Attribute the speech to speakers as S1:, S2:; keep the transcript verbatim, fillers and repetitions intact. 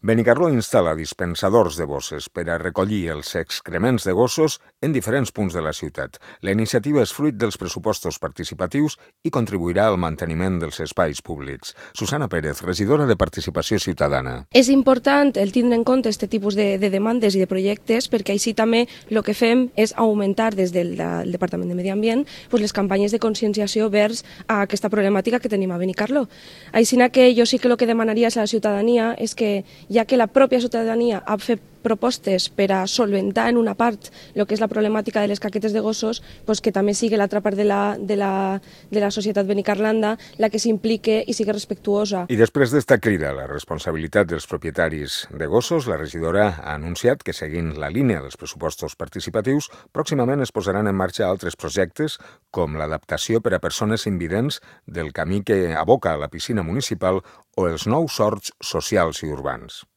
S1: Benicarló instal·la dispensadors de bosses per a recollir els excrements de gossos en diferents punts de la ciutat. La iniciativa és fruit dels pressupostos participatius i contribuirà al manteniment dels espais públics. Susana Pérez, regidora de Participació Ciutadana.
S2: És important el tindre en compte aquest tipus de, de demandes i de projectes perquè així també el que fem és augmentar des del, del Departament de Medi Ambient pues, les campanyes de conscienciació vers a aquesta problemàtica que tenim a Benicarló. Així que jo sí que el que demanaria a la ciutadania és que ja que la pròpia ciutadania ha fet propostes per a solventar en una part el que és la problemàtica de les caquetes de gossos, doncs que també sigui l'altra part de la, de, la, de la societat benicarlanda la que s'implique i sigui respectuosa.
S1: I després d'esta crida a la responsabilitat dels propietaris de gossos, la regidora ha anunciat que, seguint la línia dels pressupostos participatius, pròximament es posaran en marxa altres projectes com l'adaptació per a persones invidents del camí que aboca a la piscina municipal o els nous horts socials i urbans.